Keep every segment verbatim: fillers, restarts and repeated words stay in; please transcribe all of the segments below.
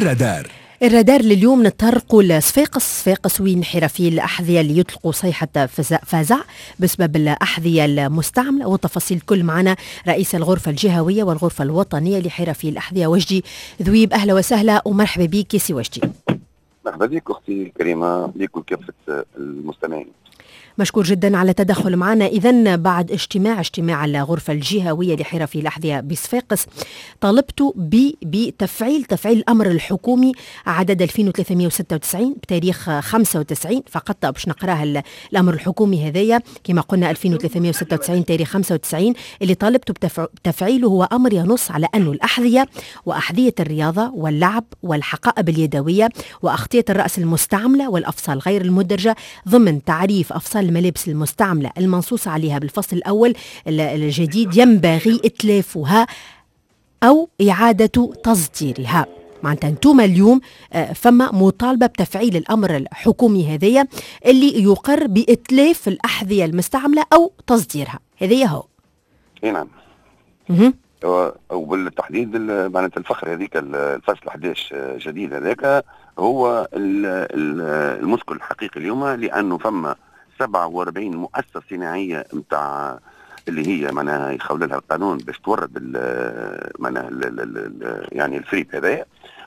الرادار. الرادار لليوم نتطرقوا لصفاقس، صفاقس وين حرفي الأحذية اللي يطلقوا صيحة فزع بسبب الأحذية المستعملة، والتفاصيل الكل معنا رئيس الغرفة الجهوية والغرفة الوطنية لحرفي الأحذية وجدي ذويب. أهلا وسهلا ومرحبا بك سي وجدي. مرحبا بك أختي الكريمة، لك وكافة المستمعين. مشكور جدا على التدخل معنا. إذا بعد اجتماع اجتماع الغرفة الجهوية لحرفي الأحذية بصفاقس طالبت بتفعيل تفعيل الأمر الحكومي عدد ألفين وثلاثمائة وستة وتسعين بتاريخ خمسة وتسعين فقط، باش نقراه الأمر الحكومي هذايا كما قلنا ألفين وثلاثمائة وستة وتسعين تاريخ خمسة وتسعين اللي طالبت بتفعيله هو أمر ينص على أن الأحذية وأحذية الرياضة واللعب والحقائب اليدوية وأغطية الرأس المستعملة والأفصال غير المدرجة ضمن تعريف أفصال الملابس المستعملة المنصوص عليها بالفصل الأول الجديد ينبغي إتلافها أو إعادة تصديرها. معناتها انتم اليوم فما مطالبة بتفعيل الأمر الحكومي هذايا اللي يقر بإتلاف الأحذية المستعملة أو تصديرها، هذايا هو. اي نعم. وبالتحديد معناتها الفخر هذيك الفصل أحد عشر جديد هذاك هو المشكل الحقيقي اليوم، لأنه فما سبعة وأربعين مؤسسة صناعية نتاع اللي هي معناها يخول لها القانون باش تورد معناها يعني الفريب هذايا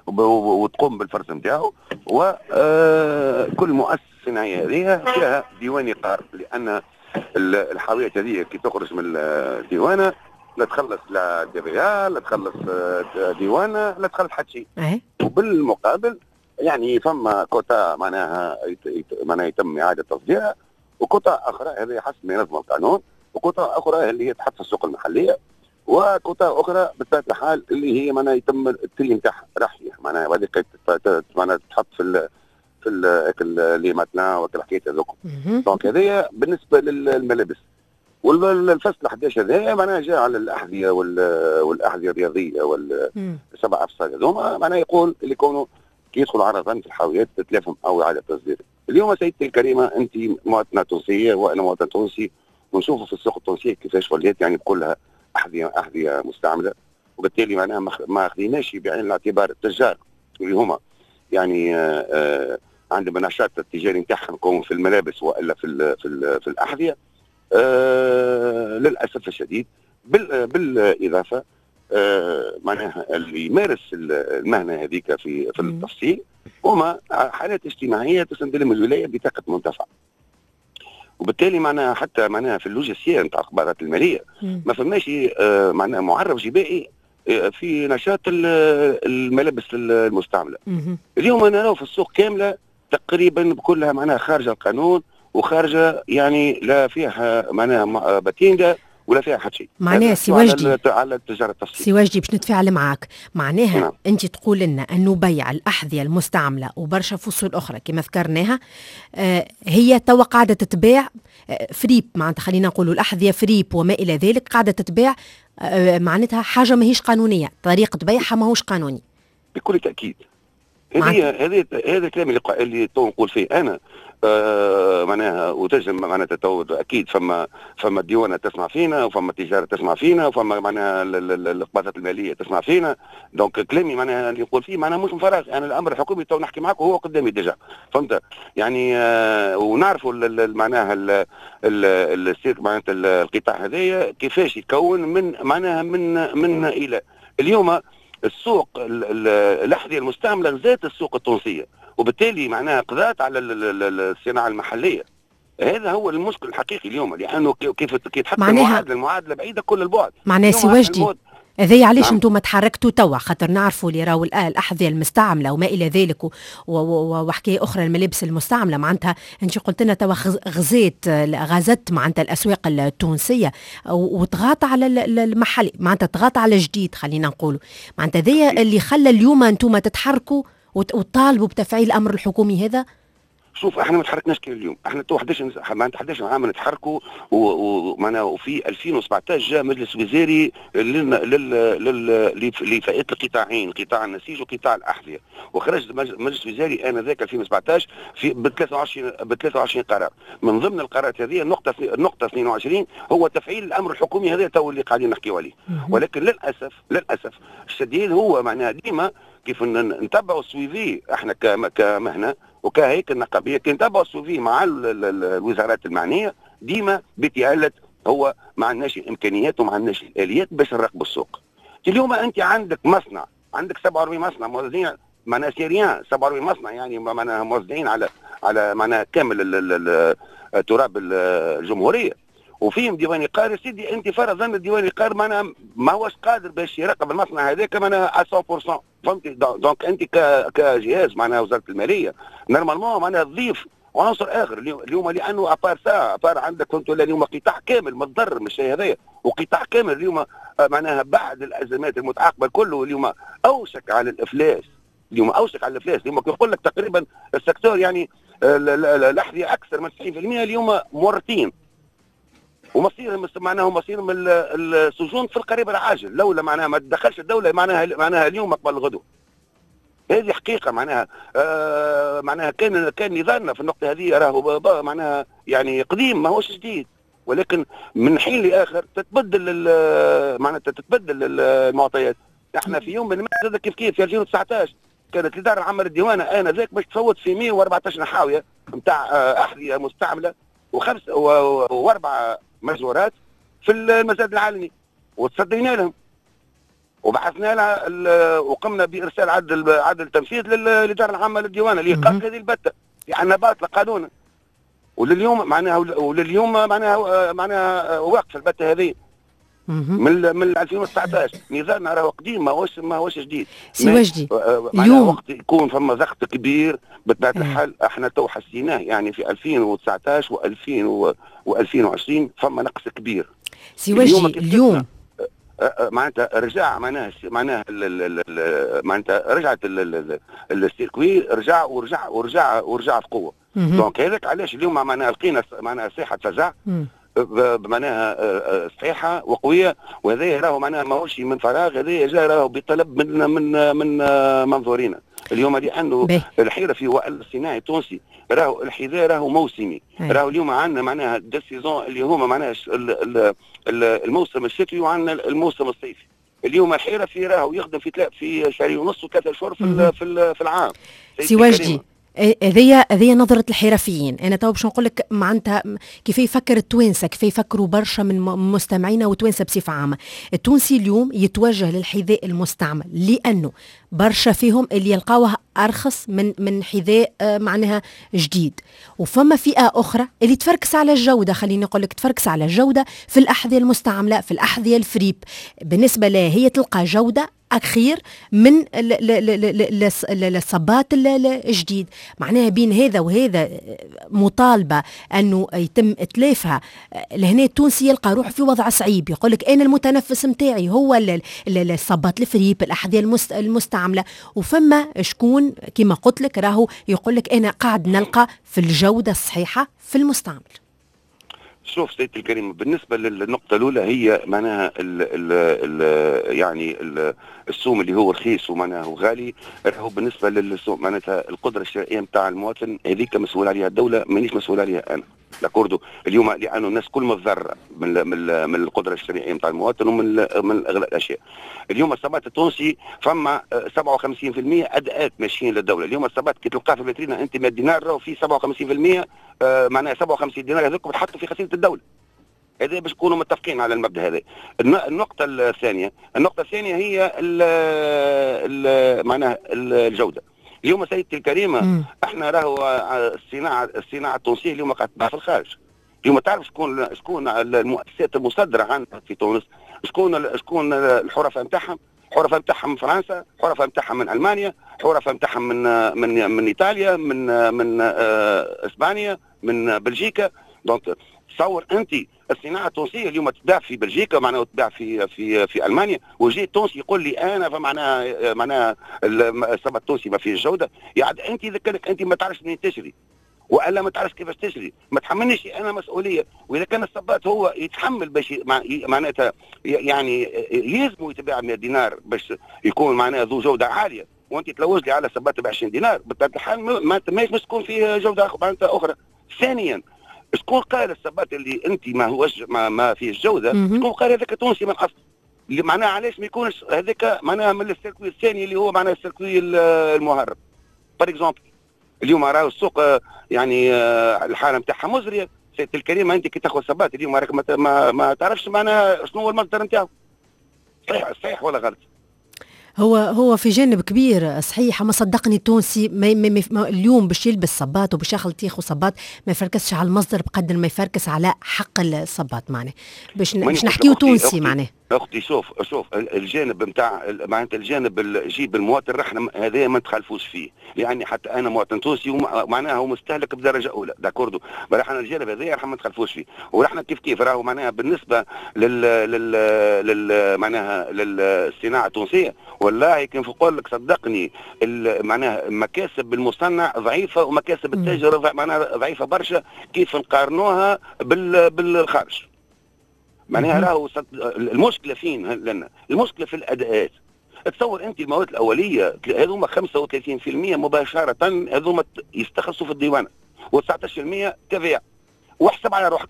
وتقوم بالفرز نتاعو، وكل مؤسسة صناعية هذه فيها ديوان إقار، لأن الحاويات هذه كي تخرج من الديوانة لا تخلص لا TVA لا تخلص ديوانة لا تخلص حتى شيء. وبالمقابل يعني فما كوتا معناها معناها يتم إعادة تصديرها، وكوتا اخرى هذه حسب ما ينظم القانون، وكوتا اخرى اللي هي تحط في السوق المحلية، وكوتا اخرى بطبيعة الحال اللي هي معناها يتم ال tri نتاعها رحيه معناها وهذيك معناها تحط في ال في ال les matelas وكل الحكايات هذوك. donc هذايا بالنسبة للملابس. والفصل أحد عشر هذايا معناها جاء على الاحذية والاحذيه الرياضية والسبع افصال هذوما، معناها يقول اللي يكونوا كي يدخلوا عرضا في الحاويات تتلافهم او اعاده تصدير. اليوم سيدتي الكريمة انت مواطنه تونسية وانا مواطن تونسي، ونشوفوا في السوق التونسية كيفاش ولات يعني كلها احذية احذية مستعملة، وبالتالي معناها ما اخذيناش بعين الاعتبار التجار اللي هما يعني آه عندهم النشاط التجاري نتاعهم في الملابس والا في ال في, ال في الاحذية. آه للاسف الشديد بالاضافة آه معناها اللي يمارس المهنة هذيك في في التفصيل هما حالات اجتماعية تسند لهم الولاية بطاقة منتفع، وبالتالي معناها حتى معناها في ال logiciel نتاع القبضات المالية ما فماش آه معناها معرف جبائي في نشاط الملابس المستعملة. اليوم انا نراو في السوق كاملة تقريبا بكلها معناها خارجه القانون وخارجه يعني لا فيها معناها patente ولا فيها حتى شيء. معناها سي وجدي على التجارة التفصيلية، سي وجدي باش نتفاعل معاك، معناها نعم. انت تقول لنا انه بيع الاحذية المستعملة وبرشا فصول اخرى كما ذكرناها آه هي توا قاعدة تتباع آه فريب، معناتها خلينا نقولوا الاحذية فريب وما الى ذلك قاعدة تتباع آه معناتها حاجة ماهيش قانونية، طريقه بيعها ماهوش قانوني. بكل تاكيد هذه هذه هذا الكلام اللي اللي تو نقول فيه انا آه معناها وتجم معناتها تو اكيد فما فما ديوانه تسمع فينا وفما تجارة تسمع فينا وفما معناها القبضات المالية تسمع فينا، donc كلامي معناها اللي نقول فيه معناها مش من فراغ، انا الامر الحكومي تو نحكي معك وهو قدامي déjà، فهمت يعني آه ونعرفوا معناها السيرك معناتها القطاع هذايا كيفاش يتكون من معناها من من الى اليوم السوق الاحذية المستعملة غزات السوق التونسية، وبالتالي معناها قضات على الصناعة المحلية. هذا هو المشكل الحقيقي اليوم، لانه كيف كي تحط المعادلة المعادلة بعيدة كل البعد. معناها سي وجدي هذايا علاش نعم. انتم تحركتوا توا، خاطر نعرفوا اللي راهو الاحذية المستعملة وما الى ذلك وحكاية اخرى الملابس المستعملة، معناتها انت قلت لنا توا غزيت غزت معناتها الاسواق التونسية وتغاطى على المحلي، معناتها تغاطى على الجديد خلينا نقولوا، معناتها هذايا اللي خلى اليوم انتم تتحركوا وتطالبوا بتفعيل الامر الحكومي هذا. شوف احنا ما تحركناش كان اليوم، احنا تو احداش معناتها احداش عام نتحركوا، ومعناها وفي ألفين وسبعطاش جاء مجلس وزاري لل لل لفئات القطاعين، قطاع النسيج وقطاع الاحذية، وخرج مجلس وزاري انذاك ألفين وسبعطاش في ب ثلاثة وعشرين ب ثلاثة وعشرين قرار، من ضمن القرارات هذه النقطة النقطة اثنين وعشرين هو تفعيل الامر الحكومي هذا تو اللي قاعدين نحكيو عليه، ولكن للاسف للاسف الشديد هو معناها ديما كيف نتبعوا ال suivi احنا كمهنه وكهيكل نقابيه، كي نتبعوا ال suivi مع الوزارات المعنية ديما بتعلة هو ما عندناش الامكانيات وما عندناش الاليات باش نراقبوا السوق. اليوم انت عندك مصنع، عندك سبعة وأربعين مصنع موزعين معناها c'est rien، سبعة وأربعين مصنع يعني معناها موزعين على على معناها كامل تراب الجمهورية، وفيهم ديوان قار. سيدي انت فرضا الديوان القار معناها ما هوش قادر باش يراقب المصنع هذاك معناها مية بالمية، فهمتي؟ donc انت كجهاز معناها وزارة المالية normalement معناها تضيف عنصر اخر اليوم، لانه à part ça à part عندك فهمت ولا اليوم قطاع كامل متضرر من الشيء هذايا، وقطاع كامل اليوم معناها بعد الازمات المتعاقبة كله اليوم اوشك على الافلاس، اليوم اوشك على الافلاس. اليوم كيقول لك تقريبا ال secteur يعني الاحذية اكثر من تسعين بالمية اليوم مورطين، ومصيرهم معناها مصيرهم السجون في القريب العاجل لولا معناها ما تدخلش الدولة معناها معناها اليوم قبل الغدو. هذه حقيقة معناها آه معناها كان كان نظامنا في النقطة هذه راهو معناها يعني قديم ما هوش جديد، ولكن من حين لاخر تتبدل معناتها تتبدل المعطيات. احنا في يوم من هذا كيف كيف في ألفين وتسعطاش كانت الادارة العامة للديوانه انذاك باش تفوت في مية وأربعطاش حاوية نتاع احذية مستعملة وخمس واربع مزورات في المزاد العالمي، وتصدينا لهم وبعثنا لها وقمنا بارسال عدل عدل تنفيذ للادارة العامة للديوانه لايقاف هذه البته لان باطله قانونا، ولليوم معناها ولليوم معناها معناها واقفة البته هذه من من ألفين وتسعطاش. نظامنا راهو قديم ماهوش ماهوش جديد. سي وجدي اليوم وقت يكون فما ضغط كبير بطبيعة الحال احنا تو حسيناه يعني في ألفين وتسعطاش و ألفين وعشرين فما نقص كبير. سي وجدي اليوم معناتها رجع معناها معناها معناتها رجعت ال circuit رجع ورجع ورجع ورجع بقوة. donc هذاك علاش اليوم معناها لقينا معناها صيحة فزع معناها صحيحه وقويه، وهذا راهو معناها ماهوش من فراغ، هذا جاء راهو بطلب من من من منظورنا اليوم، لانه الحرفي والصناعي التونسي راهو الحذاء راهو موسمي، راهو اليوم عندنا معناها deux saisons اللي هما معناها الموسم الشتوي وعندنا الموسم الصيفي. اليوم الحرفي راهو يخدم في في شهرين ونص وثلاثة شهور في في العام. سي وجدي هذيا هذيا نظرة الحرفيين، أنا تو باش نقول لك معناتها كيف يفكر التوانسة، كيف يفكروا برشا من مستمعينا وتوانسة بصفة عامة. التونسي اليوم يتوجه للحذاء المستعمل لأنه برشا فيهم اللي يلقاوه أرخص من من حذاء معناها جديد، وفما فئة أخرى اللي تفركس على الجودة، خليني نقول لك تفركس على الجودة في الأحذية المستعملة، في الأحذية الفريب. بالنسبة لها هي تلقى جودة أخير من الصبات الجديد. معناها بين هذا وهذا مطالبة أنه يتم إتلافها. لهنا التونسي يلقى روحه في وضع صعيب، يقول لك أنا المتنفس متاعي هو الصبات الفريب، الأحذية المستعملة، وفما شكون كما قلت لك راهو يقول لك أنا قاعد نلقى في الجودة الصحيحة في المستعمل. شوف سيدتي الكريمة، بالنسبة للنقطة الأولى هي معناها ال ال ال يعني ال السوم اللي هو رخيص ومعناها هو غالي، راهو بالنسبة للسوم معناتها القدرة الشرائية نتاع المواطن هذيك مسؤول عليها الدولة، مانيش مسؤول عليها أنا. d'accord اليوم لانه الناس كل متضرره من من من القدرة الشرائية نتاع المواطن ومن من اغلاء الاشياء. اليوم الصبات التونسي فما سبعة وخمسين بالمية اداءات ماشيين للدولة، اليوم الصبات كي تلقاه في الفيترينا انت مية دينار راهو في سبعة وخمسين بالمية معناها سبعة وخمسين دينار هذوك بتحطوا في خزينة الدولة. هذا باش نكونوا متفقين على المبدا هذا. النقطة الثانية، النقطة الثانية هي ال ال معناها الجودة. اليوم سيدتي الكريمة مم. احنا راهو الصناعة الصناعة التونسية اليوم قاعدة تباع في الخارج. اليوم تعرف شكون شكون المؤسسات المصدرة عندنا في تونس، شكون شكون الحرفاء نتاعهم؟ حرفاء نتاعهم من فرنسا، حرفاء نتاعهم من المانيا، حرفاء نتاعهم من من من ايطاليا، من من اسبانيا، من بلجيكا. donc تصور انت الصناعة التونسية اليوم تباع في بلجيكا معناها تباع في في في المانيا، وجي التونسي يقول لي انا فمعناها معناها الصباط التونسي ما فيش جوده. يعني انت اذا كانك انت ما تعرفش منين تشري والا ما تعرفش كيفاش تشري، ما تحملنيش انا مسؤولية. واذا كان الصباط هو يتحمل باش معناتها يعني يلزمه يتباع مية دينار باش يكون معناها ذو جوده عالية، وانت تلوج لي على صباط ب عشرين دينار، بطبيعة الحال ما ماهيش باش تكون فيه جوده معناتها اخرى. ثانيا، شكون قال الصباط اللي انت ما هوش ما, ما فيه جوده، شكون قال هذاك تونسي من اصل؟ اللي معناها علاش ما يكونش هذاك معناها من ال circuit الثاني اللي هو معناها ال circuit المهرب par exemple. اليوم راهو السوق يعني الحالة نتاعها مزرية. سيدتي الكريمه، انت كي تاخذ صباط اليوم راك ما, ما, ما تعرفش معناها شنو هو المصدر نتاعو. صحيح صحيح ولا غلط؟ هو هو في جانب كبير صحيح، ما صدقني التونسي ما ما ما اليوم باش يلبس صباط وباش ياخذ ياخذ صباط ما يفركسش على المصدر بقدر ما يفركس على حق الصباط، معناه باش باش نحكيو تونسي معناه. اختي شوف شوف الجانب نتاع معناتها الجانب جيب المواطن احنا هذا ما نتخالفوش فيه، يعني حتى انا مواطن تونسي ومعناها هو مستهلك بدرجة اولى، d'accord، احنا الجانب هذا راح ما نتخالفوش فيه، ونحن كيف كيف راهو معناها بالنسبة لل لل, لل معناها للصناعة التونسية، والله كيف نقول لك صدقني معناها مكاسب المصنع ضعيفة ومكاسب التاجر معناها ضعيفة برشا كيف نقارنوها بال بالخارج. معناها راهو المشكلة فين لنا؟ المشكلة في الاداءات. تصور انت المواد الاولية هذوما خمسة وثلاثين بالمية مباشرة هذوما يستخلصوا في الديوانه وتسعطاش بالمية TVA، واحسب على روحك.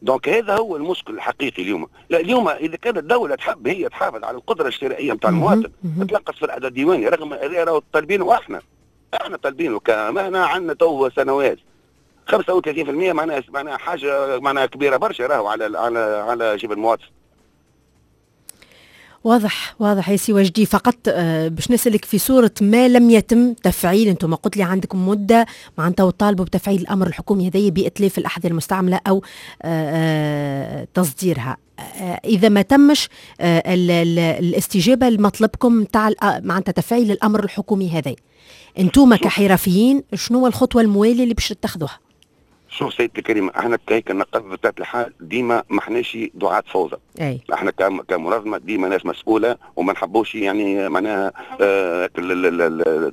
donc هذا هو المشكل الحقيقي اليوم. لا اليوم اذا كانت الدولة تحب هي تحافظ على القدرة الشرائية نتاع المواطن تنقص في الاداء الديواني، رغم هذا راهو طالبينه احنا احنا طالبينه كمهنه عندنا تو سنوات. خمسة وثلاثين بالمية معناها معناها حاجة معناها كبيرة برشا راهو على على على جيب المواطن. واضح واضح يا سي وجدي. فقط باش نسألك في صورة ما لم يتم تفعيل، انتم قلت لي عندكم مدة معناتها وطالبوا بتفعيل الأمر الحكومي هذايا بإتلاف الأحذية المستعملة أو تصديرها، إذا ما تمش الاستجابة لمطلبكم تاع معناتها تفعيل الأمر الحكومي هذا، انتم كحرفيين شنو الخطوة الموالية اللي باش تتخذوها؟ شوف سيدتي الكريمة، احنا كهيك النقابة بطبيعة الحال ديما ما احناش دعاة فوضى. أي. احنا كمنظمة ديما ناس مسؤولة وما نحبوش يعني معناها اه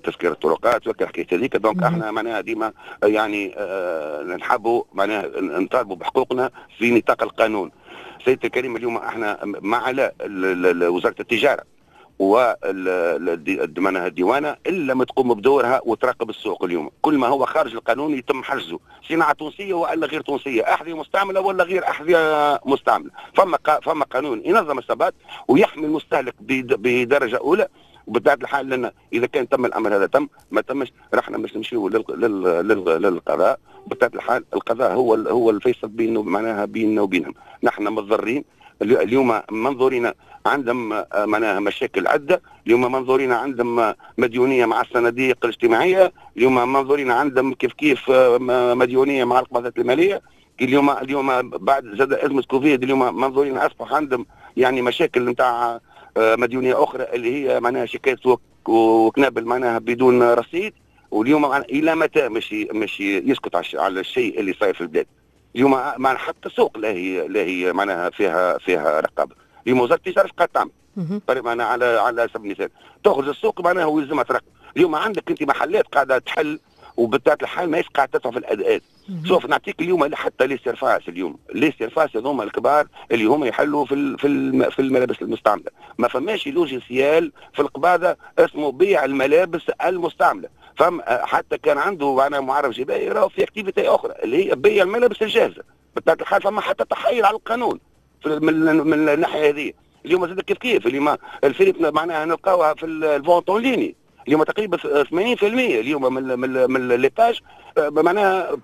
تسكير الطرقات والحكاية هذيك، donc احنا معناها ديما يعني اه نحبوا معناها نطالبوا بحقوقنا في نطاق القانون. سيدتي الكريمة اليوم احنا مع على وزارة التجارة ومعناها الديوانه الا ما تقوم بدورها وتراقب السوق. اليوم كل ما هو خارج القانون يتم حجزه، صناعة تونسية والا غير تونسية، احذية مستعملة ولا غير احذية مستعملة. فما فما قانون ينظم السبات ويحمي المستهلك بدرجة اولى. وبطبيعة الحال لنا اذا كان تم الامر هذا تم، ما تمش رحنا باش نمشيو للقضاء. بطبيعة الحال القضاء هو هو الفيصل بينه معناها بيننا وبينهم. نحن متضررين اليوم، منظورنا عندهم معناها مشاكل عده، اليوم منظورين عندهم مديونية مع الصناديق الاجتماعية، اليوم منظورين عندهم كيف كيف مديونية مع القبضات المالية، اليوم اليوم بعد زاد ازمة كوفيد اليوم منظورين اصبح عندهم يعني مشاكل نتاع مديونية اخرى اللي هي معناها شيكات وكنابل معناها بدون رصيد. واليوم الى متى مش مش يسكت على الشيء اللي صاير في البلاد؟ اليوم معناها حتى السوق لا هي لا هي معناها فيها فيها رقابه. اليوم وزارة التجارة اش قاعدة تعمل؟ معناها على على سبيل المثال تخرج السوق معناها ويلزمها تراقب. اليوم عندك انت محلات قاعدة تحل وبطبيعة الحال ماهيش قاعدة تدفع في الاداءات. شوف نعطيك اليوم حتى les surfaces، اليوم les surfaces هذوما الكبار اللي هما يحلوا في في في الملابس المستعملة، ما فماش logiciel في القباضه اسمه بيع الملابس المستعملة. فم حتى كان عنده معناها معرف جبائي راهو في activité اخرى اللي هي بيع الملابس الجاهزة. بطبيعة الحال فما حتى تحايل على القانون في من, من الناحية هذه. اليوم زاد كيف كيف اليوم الفريب معناها نلقاوها في ال vente en ligne اليوم تقريبا ثمانين بالمية اليوم من من من les pages معناها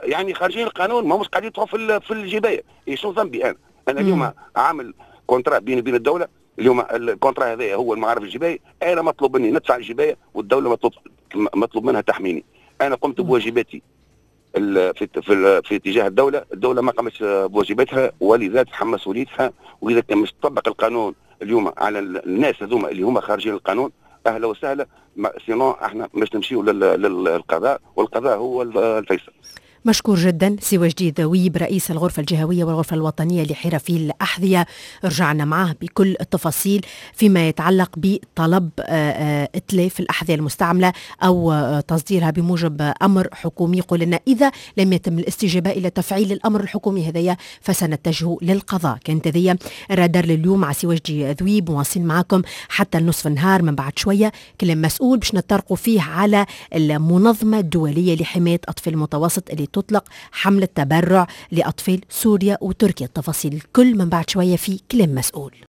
يعني خارجين القانون، ما همش قاعدين يدفعوا في في الجبايه. شنو ذنبي انا؟ انا اليوم عامل contrat بيني وبين الدولة، اليوم ال contrat هذا هو المعرف الجبائي، انا مطلوب مني ندفع الجبايه والدولة مطلوب مطلوب منها تحميني. انا قمت بواجباتي في في في اتجاه الدولة، الدولة ما قامتش بواجباتها ولذا تتحمل مسؤوليتها. واذا كان مش تطبق القانون اليوم على الناس هذوما اللي هما خارجين القانون اهلا وسهلا، sinon احنا باش نمشيو للقضاء والقضاء هو الفيصل. مشكور جدا سي وجدي ذويب، رئيس الغرفة الجهوية والغرفة الوطنية لحرفي الأحذية. رجعنا معه بكل التفاصيل فيما يتعلق بطلب آه، آه، اتلاف الأحذية المستعملة أو آه، تصديرها بموجب أمر حكومي. يقول لنا إذا لم يتم الاستجابة إلى تفعيل الأمر الحكومي هذايا فسنتجه للقضاء. كانت هذه الرادار لليوم مع سي وجدي ذويب، مواصلين معكم حتى النصف النهار. من بعد شوية كلام مسؤول باش نطرقوا فيه على المنظمة الدولية لحماية أطفال المتوسط اللي تطلق حملة تبرع لأطفال سوريا وتركيا. التفاصيل الكل من بعد شوية في كلام مسؤول.